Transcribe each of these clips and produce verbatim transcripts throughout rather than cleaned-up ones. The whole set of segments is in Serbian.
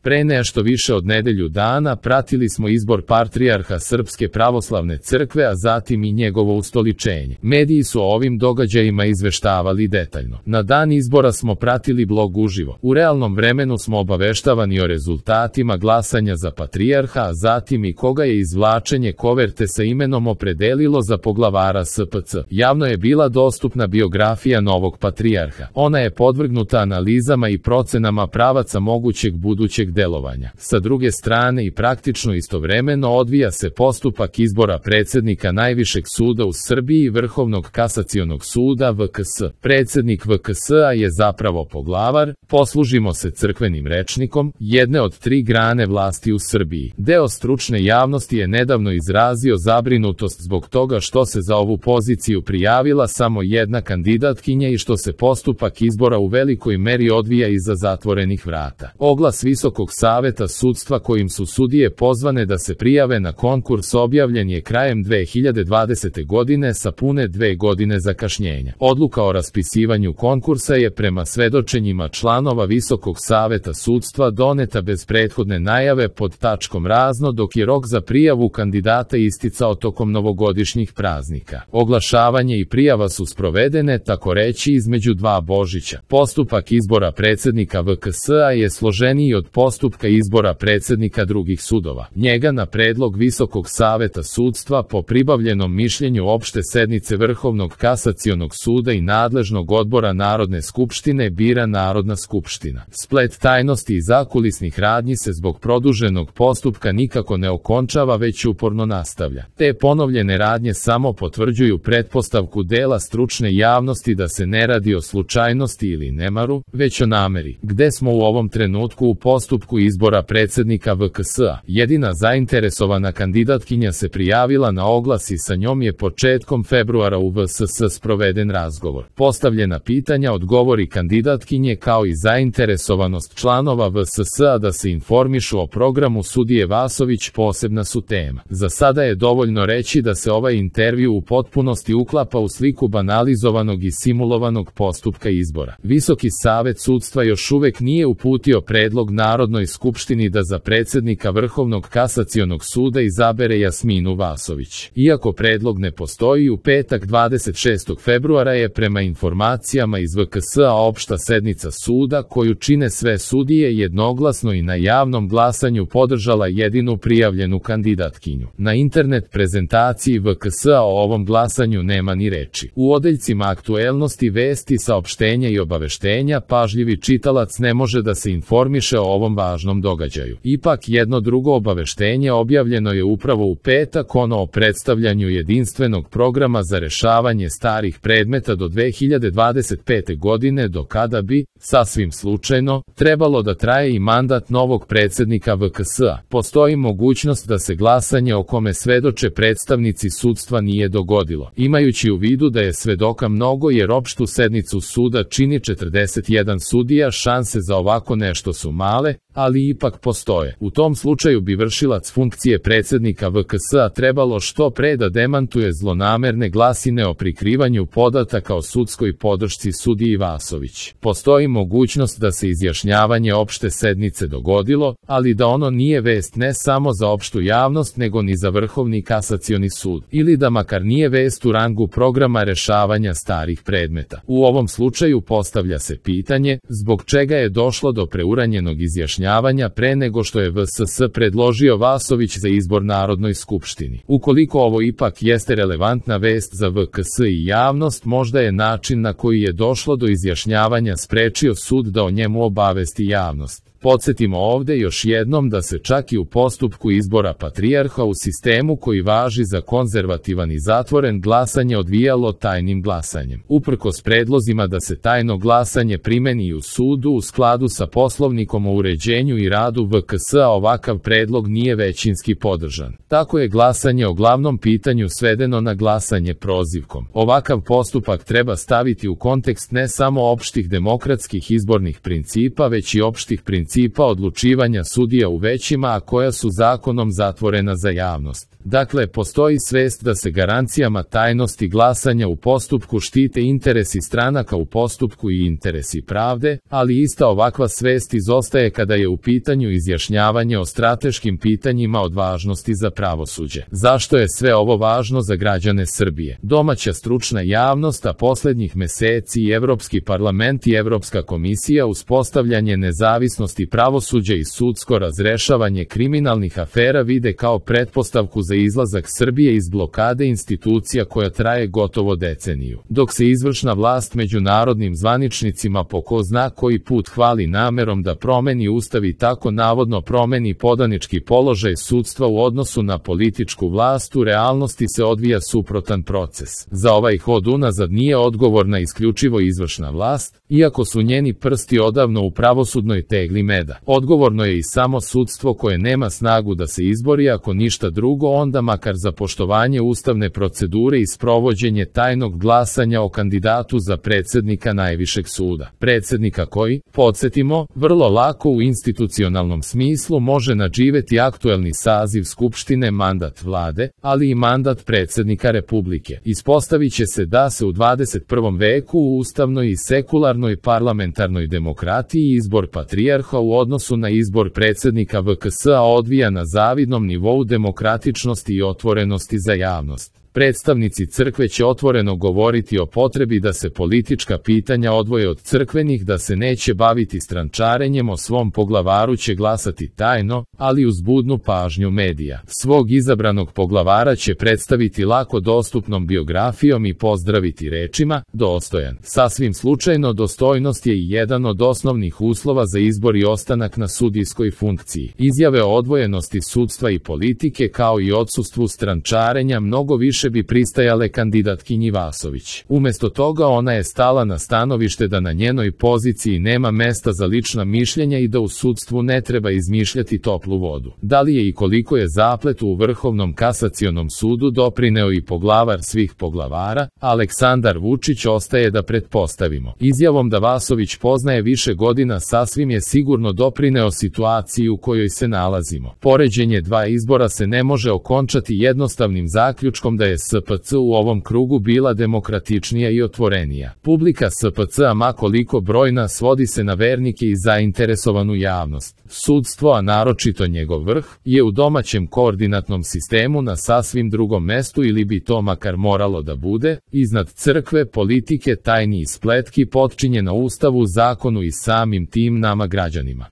Pre nešto više od nedelju dana pratili smo izbor patrijarha Srpske pravoslavne crkve, a zatim i njegovo ustoličenje. Mediji su o ovim događajima izveštavali detaljno. Na dan izbora smo pratili blog uživo. U realnom vremenu smo obaveštavani o rezultatima glasanja za patrijarha, a zatim i koga je izvlačenje koverte sa imenom opredelilo za poglavara S P C. Javno je bila dostupna biografija novog patrijarha. Ona je podvrgnuta analizama i procenama pravaca mogućeg budućeg delovanja. Sa druge strane i praktično istovremeno odvija se postupak izbora predsednika Najvišeg suda u Srbiji i Vrhovnog kasacionog suda V K S. Predsednik V K S-a je zapravo poglavar, poslužimo se crkvenim rečnikom, jedne od tri grane vlasti u Srbiji. Deo stručne javnosti je nedavno izrazio zabrinutost zbog toga što se za ovu poziciju prijavila samo jedna kandidatkinja i što se postupak izbora u velikoj meri odvija iza zatvorenih vrata. Oglas Visokog saveta sudstva kojim su sudije pozvane da se prijave na konkurs objavljen je krajem dve hiljade dvadesete. godine sa pune dve godine zakašnjenja. Odluka o raspisivanju konkursa je prema svedočenjima članova Visokog saveta sudstva doneta bez prethodne najave pod tačkom razno, dok je rok za prijavu kandidata isticao tokom novogodišnjih praznika. Oglašavanje i prijava su sprovedene, tako reći, između dva Božića. Postupak izbora predsednika V K S-a je složeniji od postupka izbora predsednika drugih sudova. Njega na predlog Visokog saveta sudstva po pribavljenom mišljenju opšte sednice Vrhovnog kasacionog suda i nadležnog odbora Narodne skupštine bira Narodna skupština. Splet tajnosti i zakulisnih radnji se zbog produženog postupka nikako ne okončava, već uporno nastavlja. Te ponovljene radnje samo potvrđuju pretpostavku dela stručne javnosti da se ne radi o slučajnosti ili nemaru, već o nameri. Gde smo u ovom trenutku u postupku izbora predsednika V K S-a? Jedina zainteresovana kandidatkinja se prijavila na oglas i sa njom je početkom februara u V S S sproveden razgovor. Postavljena pitanja odgovori kandidatkinje kao i zainteresovanost članova V S S-a da se informišu o programu sudije Vasović posebna su tema. Za sada je dovoljno reći da se ovaj intervju u potpunosti uklapa u sliku banalizovanog i simulovanog postupka izbora. Visoki savet sudstva još uvek nije uputio predlog Narodnoj skupštini da za predsednika Vrhovnog kasacionog suda izabere Jasminu Vasović. Iako predlog ne postoji, u petak dvadeset šestog februara je prema informacijama iz V K S-a opšta sednica suda koju čine sve sudije jednoglasno i na javnom glasanju podržala jedinu prijavljenu kandidatkinju. Na internet prezentaciji V K S-a o ovom glasanju nema ni reči. U odeljcima aktuelnosti, vesti, saopštenja i obaveštenja pažljivi čitalac ne može da se informiše o ovom važnom događaju. Ipak jedno drugo obaveštenje objavljeno je upravo u petak, ono o predstavljanju jedinstvenog programa za rešavanje starih predmeta do dve hiljade dvadeset pete. godine, do kada bi, sasvim slučajno, trebalo da traje i mandat novog predsednika V K S-a. Postoji mogućnost da se glasanje o kome svedoče predstavnici sudstva nije dogodilo. Imajući u vidu da je svedoka mnogo jer opštu sednicu suda čini četrdeset jedan sudija, šanse za ovako nešto su male, ali ipak postoje. U tom slučaju bi vršilac funkcije predsednika V K S-a trebalo što pre da demantuje zlonamerne glasine o prikrivanju podataka o sudskoj podršci sudiji Vasović. Postoji mogućnost da se izjašnjavanje opšte sednice dogodilo, ali da ono nije vest ne samo za opštu javnost nego ni za Vrhovni kasacioni sud, ili da makar nije vest u rangu programa rešavanja starih predmeta. U ovom slučaju postavlja se pitanje zbog čega je došlo do preuranjenog izjašnjavanja pre nego što je V S S predložio Vasović za izbor Narodnoj skupštini. Ukoliko ovo ipak jeste relevantna vest za V K S i javnost, možda je način na koji je došlo do izjašnjavanja sprečio sud da o njemu obavesti javnost. Podsjetimo ovde još jednom da se čak i u postupku izbora patrijarha u sistemu koji važi za konzervativan i zatvoren glasanje odvijalo tajnim glasanjem. Uprkos predlozima da se tajno glasanje primeni u sudu u skladu sa Poslovnikom o uređenju i radu V K S-a, ovakav predlog nije većinski podržan. Tako je glasanje o glavnom pitanju svedeno na glasanje prozivkom. Ovakav postupak treba staviti u kontekst ne samo opštih demokratskih izbornih principa, već i opštih principa principa odlučivanja sudija u većima, a koja su zakonom zatvorena za javnost. Dakle, postoji svest da se garancijama tajnosti glasanja u postupku štite interesi stranaka u postupku i interesi pravde, ali ista ovakva svest izostaje kada je u pitanju izjašnjavanje o strateškim pitanjima od važnosti za pravosuđe. Zašto je sve ovo važno za građane Srbije? Domaća stručna javnost, a poslednjih meseci i Evropski parlament i Evropska komisija uspostavljanje nezavisnosti pravosuđa i sudsko razrešavanje kriminalnih afera vide kao pretpostavku za izlazak Srbije iz blokade institucija koja traje gotovo deceniju. Dok se izvršna vlast međunarodnim zvaničnicima po ko zna koji put hvali namerom da promeni ustav i tako navodno promeni podanički položaj sudstva u odnosu na političku vlast, u realnosti se odvija suprotan proces. Za ovaj hod unazad nije odgovorna isključivo izvršna vlast, iako su njeni prsti odavno u pravosudnoj tegli meda. Odgovorno je i samo sudstvo koje nema snagu da se izbori, ako ništa drugo onda makar za poštovanje ustavne procedure i sprovođenje tajnog glasanja o kandidatu za predsednika najvišeg suda. Predsednika koji, podsjetimo, vrlo lako u institucionalnom smislu može nadživeti aktuelni saziv Skupštine, mandat vlade, ali i mandat predsednika Republike. Ispostavit će se da se u dvadeset prvom veku u ustavnoj i sekularnoj parlamentarnoj demokratiji izbor patrijarha u odnosu na izbor predsednika V K S-a odvija na zavidnom nivou demokratičnosti i otvorenosti za javnost. Predstavnici crkve će otvoreno govoriti o potrebi da se politička pitanja odvoje od crkvenih, da se neće baviti strančarenjem, o svom poglavaru će glasati tajno, ali uz budnu pažnju medija. Svog izabranog poglavara će predstaviti lako dostupnom biografijom i pozdraviti rečima, dostojan. Sasvim slučajno, dostojnost je i jedan od osnovnih uslova za izbor i ostanak na sudijskoj funkciji. Izjave o odvojenosti sudstva i politike kao i odsustvu strančarenja mnogo više bi pristajale kandidatkinji Vasović. Umesto toga ona je stala na stanovište da na njenoj poziciji nema mesta za lična mišljenja i da u sudstvu ne treba izmišljati toplu vodu. Da li je i koliko je zapletu u Vrhovnom kasacionom sudu doprineo i poglavar svih poglavara, Aleksandar Vučić, ostaje da pretpostavimo. Izjavom da Vasović poznaje više godina sasvim je sigurno doprineo situaciji u kojoj se nalazimo. Poređenje dva izbora se ne može okončati jednostavnim zaključkom da je S P C u ovom krugu bila demokratičnija i otvorenija. Publika S P C-a, ma koliko brojna, svodi se na vernike i zainteresovanu javnost. Sudstvo, a naročito njegov vrh, je u domaćem koordinatnom sistemu na sasvim drugom mestu, ili bi to makar moralo da bude, iznad crkve, politike, tajni i spletki, potčinjena Ustavu, zakonu i samim tim nama građanima.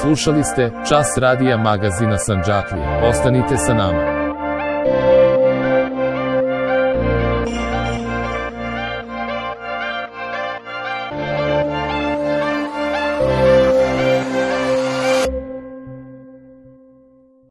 Slušali ste Čas radija magazina Sandžaklija. Ostanite sa nama.